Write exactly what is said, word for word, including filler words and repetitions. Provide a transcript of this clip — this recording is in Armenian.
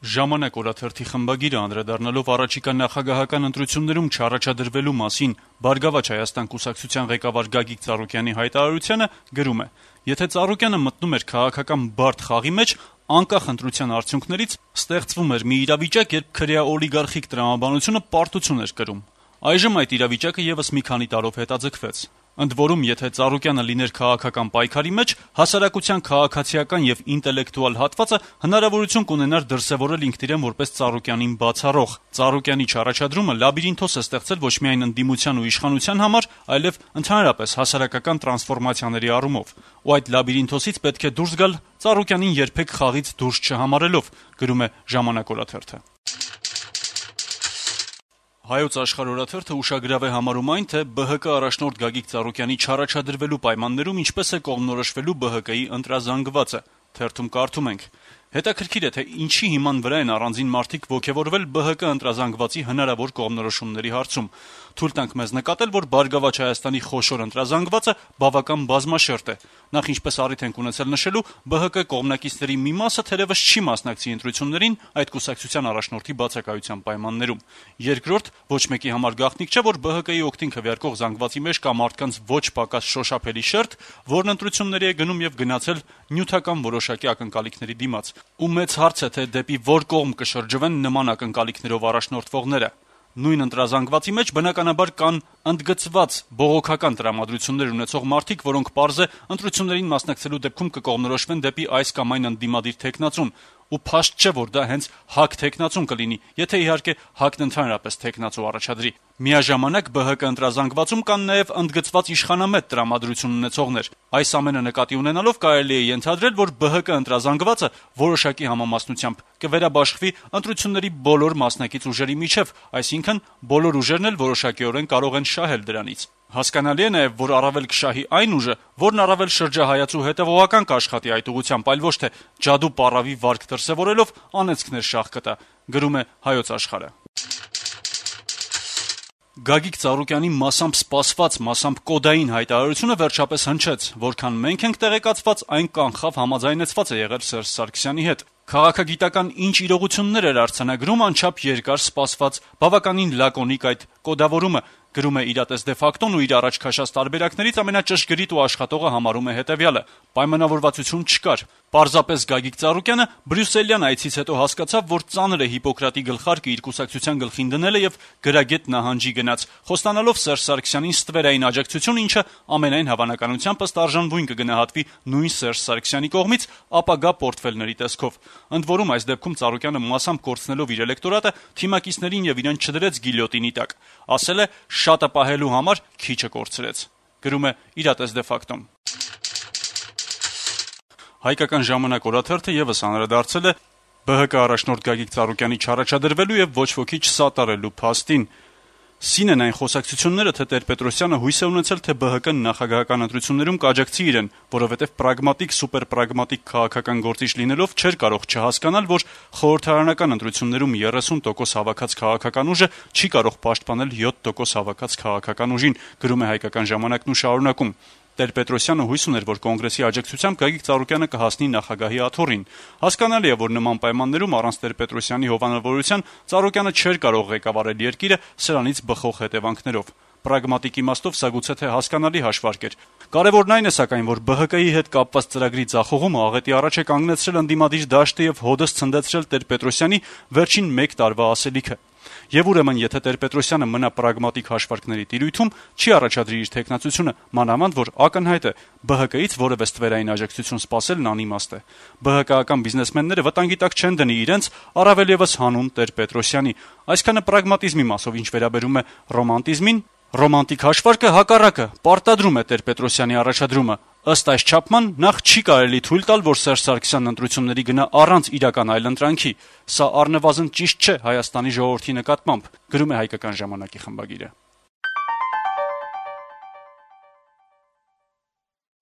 Ժամանակ օրաթերթի խմբագիրը անդրադառնալով առաջիկա նախագահական ընտրություններում չառաջադրվելու մասին «Բարգավաճ Հայաստան» կուսակցության ղեկավար Գագիկ Ծառուկյանի հայտարարությանը գրում է. «Եթե Ծառուկյանը մտնում էր քաղաքական բարդ խաղի մեջ, անկախ ընտրության արդյունքներից ստեղծվում էր մի իրավիճակ, երբ քրեա օլիգարխիկ տրամաբանությունը պարտություն էր կրում։ Այժմ այդ իրավիճակը եւս մի քանի տարով հետաձգվեց։ Ընդ որում, եթե Ծառուկյանը լիներ քաղաքական պայքարի մեջ, հասարակության քաղաքացիական եւ ինտելեկտուալ հատվածը հնարավորություն կունենար դրսեւորել ինքն իրեն որպես Ծառուկյանին բացառող։ Ծառուկյանի չառաջադրումը լաբիրինթոս է ստեղծել ոչ միայն ընդդիմության ու իշխանության համար, այլև ընդհանրապես հասարակական տրանսֆորմացիաների առումով։ Ու այդ լաբիրինթոսից պետք է դուրս գալ Ծառուկյանին երբեք խաղից դուրս չհամարելով», գրում է «Ժամանակ» օրաթերթը»։ Հայոց Աշխարհ օրաթերթը ուշագրավ է համարում այն, թե ԲՀԿ առաջնորդ Գագիկ Ծառուկյանի չառաջադրվելու պայմաններում ինչպես է կողմնորոշվելու ԲՀԿ-ի ընտրազանգվածը։ Թերթում կարդում ենք. «Հետաքրքիր է, թե ինչի հիման վրա են առանձին մարդիկ ոգևորվել ԲՀԿ ընտրազանգվածի հնարավոր կողմնորոշումների հարցում։ Թույլ տանք մեզ նկատել, որ Բարգավաճ Հայաստանի խոշոր ընտրազանգվածը բավական բազմաշերտ է։ Նախ, ինչպես առիթ ենք ունեցել նշելու, ԲՀԿ կողմնակիցների մի մասը թերևս չի մասնակցի ընտրություններին այդ կուսակցության առաջնորդի բացակայության պայմաններում։ Երկրորդ, ոչ մեկի համար գաղտնիք չէ, որ ԲՀԿ-ի օգտին քվեարկող զանգվածի մեջ կա մարդկանց ոչ պակաս շոշափելի շերտ, որն ընտրությունների է գնում եւ գնացել նյութական որոշակի ակնկալիքների դիմաց։ Ու մեծ հարց է, թե դեպի որ կողմ կշրջվեն նման ակնկալիքներով առաջնորդվողները։ Նույն ընտրազանգվածի մեջ բնականաբար կան ընդգծված բողոքական տրամադրություններ ունեցող մարդիկ, որոնք պարզ է ընտրություններին մասնակցելու դեպքում կկողմնորոշվեն դեպի այս կամ այն ընդդիմադիր թեկնածուն, ու փաստ չէ, որ դա հենց ՀԱԿ թեկնածուն կլինի, եթե իհարկե ՀԱԿ-ն ընդհանրապես թեկնածու առաջադրի։ Միաժամանակ ԲՀԿ ընտրազանգվածում կան նաև ընդգծված իշխանամետ տրամադրություն ունեցողներ։ Այս ամենը նկատի ունենալով կարելի է ենթադրել, որ ԲՀԿ ընտրազանգվածը որոշակի համամասնությամբ կվերաբաշխվի ընտրությունների բոլոր մասնակից ուժերի միջև, այսինքն բոլոր ուժերն էլ որոշակիորեն կարող են շահել դրանից։ Հասկանալի է նաև, որ առավել կշահի այն ուժը, որն առավել շրջահայաց ու հետևողական կաշխատի այդ ուղղությամբ, այլ ոչ թե ջադու պարավի վարկ դրսևորելով անեծքներ շահ կտա, գրում է Հայոց Աշխարհը։ Գագիկ Ծառուկյանի մասամբ սպասված, մասամբ կոդային հայտարարությունը վերջապես հնչեց, որքան մենք ենք տեղեկացված, այն կանխավ համաձայնեցված է եղել Սերժ Սարգսյանի հետ։ Քաղաքագիտական ինչ իրողություններ էր արձանագրում անչափ երկար սպասված, բավականին լակոնիկ այդ կոդավորումը, գրում է «Իրատես դե ֆակտոն» ու իր առաջ քաշած տարբերակներից ամենաճշգրիտ ու աշխատողը համարում է հետևյալը. պայմանավորվածություն չկար։ Պարզապես Գագիկ Ծառուկյանը բրյուսելյան այցից հետո հասկացավ, որ ծանր է Հիպոկրատի գլխարկը իր կուսակցության գլխին դնելը եւ գրագետ նահանջի գնաց, խոստանալով Սերժ Սարգսյանին ստվերային աջակցություն, ինչը ամենայն հավանականությամբ ըստ արժանվույն կգնահատվի նույն Սերժ Սարգսյանի կողմից ապագա պորտֆելների տեսքով։ Ընդ որում, այս դեպքում Ծառուկյանը մասամբ կորցնելով իր էլեկտորատը, թիմակիցներին եւ իրեն չդրեց գիլյոտինի տակ։ Ասել է՝ շատը պահելու համար քիչը կորցրեց, գրում է «Իրատես դե ֆակտոն»։ Հայկական ժամանակ օրաթերթը եւս անդրադարձել է ԲՀԿ առաջնորդ Գագիկ Ծառուկյանի չառաջադրվելու եւ ոչ ոքի չսատարելու փաստին։ Սին են այն խոսակցությունները, թե Տեր-Պետրոսյանը հույս է ունեցել, թե ԲՀԿ-ն նախագահական ընտրություններում կաջակցի իրեն, որովհետեւ պրագմատիկ, սուպերպրագմատիկ քաղաքական գործիչ լինելով չէր կարող չհասկանալ, որ խորհրդարանական ընտրություններում երեսուն տոկոս հավաքած քաղաքական ուժը չի կարող պաշտպանել յոթ տոկոս հավաքած քաղաքական ուժին, գրում է Հայկական ժամանակն ու շարունակում. Տեր-Պետրոսյանը հույս ուներ, որ կոնգրեսի աջակցությամբ Գագիկ Ծառուկյանը կհասնի նախագահի աթոռին։ Հասկանալի է, որ նման պայմաններում առանց Տեր-Պետրոսյանի հովանավորության Ծառուկյանը չէր կարող ղեկավարել երկիրը սրանից բխող հետևանքներով։ Պրագմատիկ իմաստով սա գուցե թե հասկանալի հաշվարկ էր։ Կարևորն այն է սակայն, որ ԲՀԿ-ի հետ կապված ծրագրի ձախողումը աղետի առաջ է կանգնեցրել ընդդիմադիր դաշտը եւ հոդս ցնդեցրել Տեր-Պետրոսյանի վերջին մեկ տարվա ասելիքը։ Եվ ուրեմն, եթե Տեր-Պետրոսյանը մնա պրագմատիկ հաշվարկների տիրույթում, չի առաջադրի իր թեկնածությունը, մանավանդ որ ակնհայտ է ԲՀԿ-ից որևէ ստվերային աջակցություն սպասելն անիմաստ է։ ԲՀԿ-ական բիզնեսմենները վտանգի տակ չեն դնի իրենց, առավել եւս հանուն Տեր-Պետրոսյանի։ Այսքանը պրագմատիզմի մասով, ինչ վերաբերում է ռոմանտիզմին, ռոմանտիկ հաշվարկը հակառակը պարտադրում է Տեր-Պետրոսյանի առաջադրումը։ Ըստ այս չափման նախ չի կարելի թույլ տալ, որ Սերժ Սարգսյանն ընտրությունների գնա առանց իրական այլընտրանքի։ Սա առնվազն ճիշտ չէ Հայաստանի ժողովրդի նկատմամբ, գրում է Հայկական ժամանակի խմբագիրը։